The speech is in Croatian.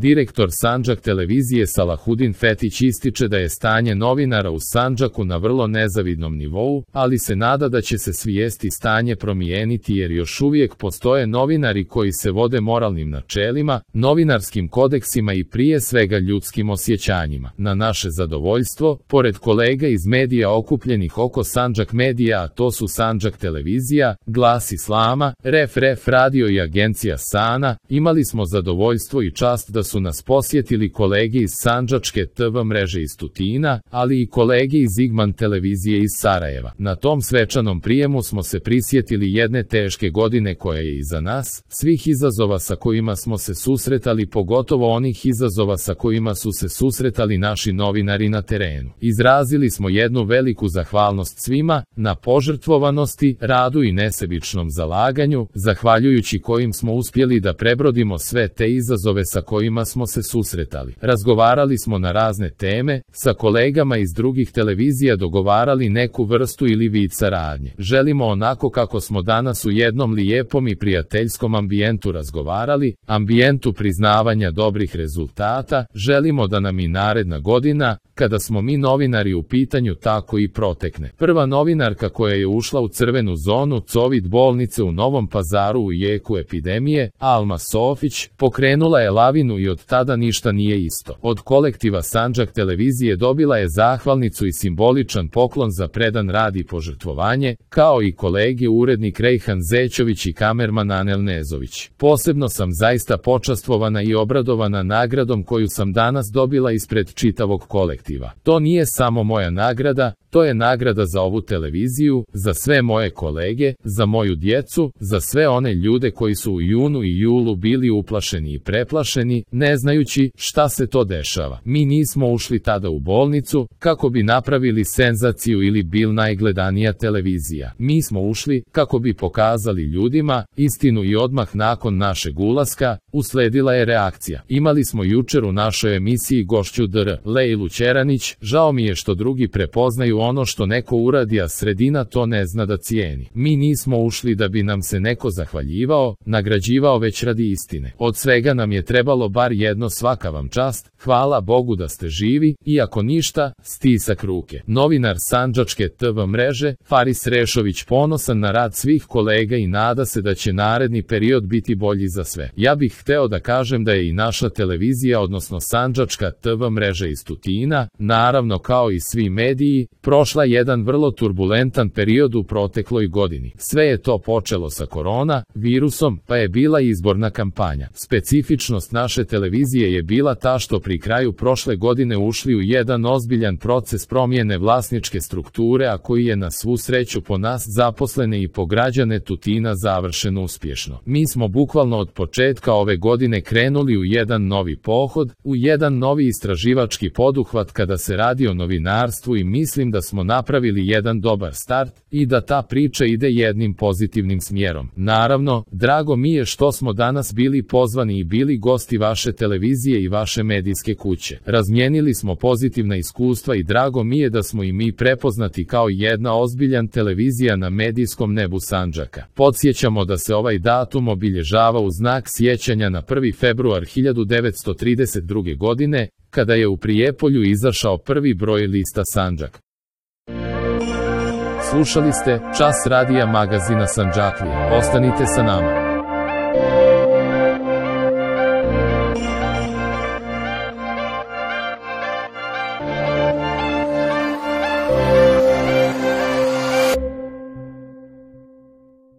Direktor Sandžak televizije Salahudin Fetić ističe da je stanje novinara u Sandžaku na vrlo nezavidnom nivou, ali se nada da će se svijesti stanje promijeniti jer još uvijek postoje novinari koji se vode moralnim načelima, novinarskim kodeksima i prije svega ljudskim osjećanjima. Na naše zadovoljstvo, pored kolega iz medija okupljenih oko Sandžak medija, a to su Sandžak televizija, Glas Islama, Ref radio i agencija Sana, imali smo zadovoljstvo i čast da su nas posjetili kolege iz Sandžačke TV mreže iz Tutina, ali i kolege iz Igman televizije iz Sarajeva. Na tom svečanom prijemu smo se prisjetili jedne teške godine koja je iza nas, svih izazova sa kojima smo se susretali, pogotovo onih izazova sa kojima su se susretali naši novinari na terenu. Izrazili smo jednu veliku zahvalnost svima, na požrtvovanosti, radu i nesebičnom zalaganju, zahvaljujući kojim smo uspjeli da prebrodimo sve te izazove sa kojima smo se susretali. Razgovarali smo na razne teme, sa kolegama iz drugih televizija dogovarali neku vrstu ili vid saradnje. Želimo onako kako smo danas u jednom lijepom i prijateljskom ambijentu razgovarali, ambijentu priznavanja dobrih rezultata, želimo da nam i naredna godina, kada smo mi novinari u pitanju, tako i protekne. Prva novinarka koja je ušla u crvenu zonu COVID bolnice u Novom Pazaru u jeku epidemije, Alma Sofić, pokrenula je lavinu i od tada ništa nije isto. Od kolektiva Sandžak televizije dobila je zahvalnicu i simboličan poklon za predan rad i požrtvovanje, kao i kolege urednik Rejhan Zećović i kamerman Anel Nezović. Posebno sam zaista počastvovana i obradovana nagradom koju sam danas dobila ispred čitavog kolektiva. To nije samo moja nagrada, to je nagrada za ovu televiziju, za sve moje kolege, za moju djecu, za sve one ljude koji su u junu i julu bili uplašeni i preplašeni, ne znajući šta se to dešava. Mi nismo ušli tada u bolnicu kako bi napravili senzaciju ili bil najgledanija televizija. Mi smo ušli kako bi pokazali ljudima istinu i odmah nakon našeg ulaska usledila je reakcija. Imali smo jučer u našoj emisiji gošću Dr. Lejlu Ćeranić, žao mi je što drugi prepoznaju ono što neko uradi, a sredina to ne zna da cijeni. Mi nismo ušli da bi nam se neko zahvaljivao, nagrađivao, već radi istine. Od svega nam je trebalo bar jedno: svaka vam čast, hvala Bogu da ste živi, i ako ništa, stisak ruke. Novinar Sandžačke TV mreže, Faris Rešović, ponosan na rad svih kolega i nada se da će naredni period biti bolji za sve. Ja bih hteo da kažem da je i naša televizija, odnosno Sandžačka TV mreža iz Tutina, naravno kao i svi mediji, prošla jedan vrlo turbulentan period u protekloj godini. Sve je to počelo sa korona virusom, pa je bila izborna kampanja. Specifičnost naše televizije je bila ta što pri kraju prošle godine ušli u jedan ozbiljan proces promjene vlasničke strukture, a koji je na svu sreću po nas zaposlene i po građane Tutina završeno uspješno. Mi smo bukvalno od početka ove godine krenuli u jedan novi pohod, u jedan novi istraživački poduhvat kada se radi o novinarstvu, i mislim da smo napravili jedan dobar start i da ta priča ide jednim pozitivnim smjerom. Naravno, drago mi je što smo danas bili pozvani i bili gosti vaše televizije i vaše medijske kuće. Razmijenili smo pozitivna iskustva i drago mi je da smo i mi prepoznati kao jedna ozbiljan televizija na medijskom nebu Sandžaka. Podsjećamo da se ovaj datum obilježava u znak sjećanja na 1. februar 1932. godine, kada je u Prijepolju izašao prvi broj lista Sandžak. Slušali ste Čas radija magazina Sandžaklija. Ostanite sa nama.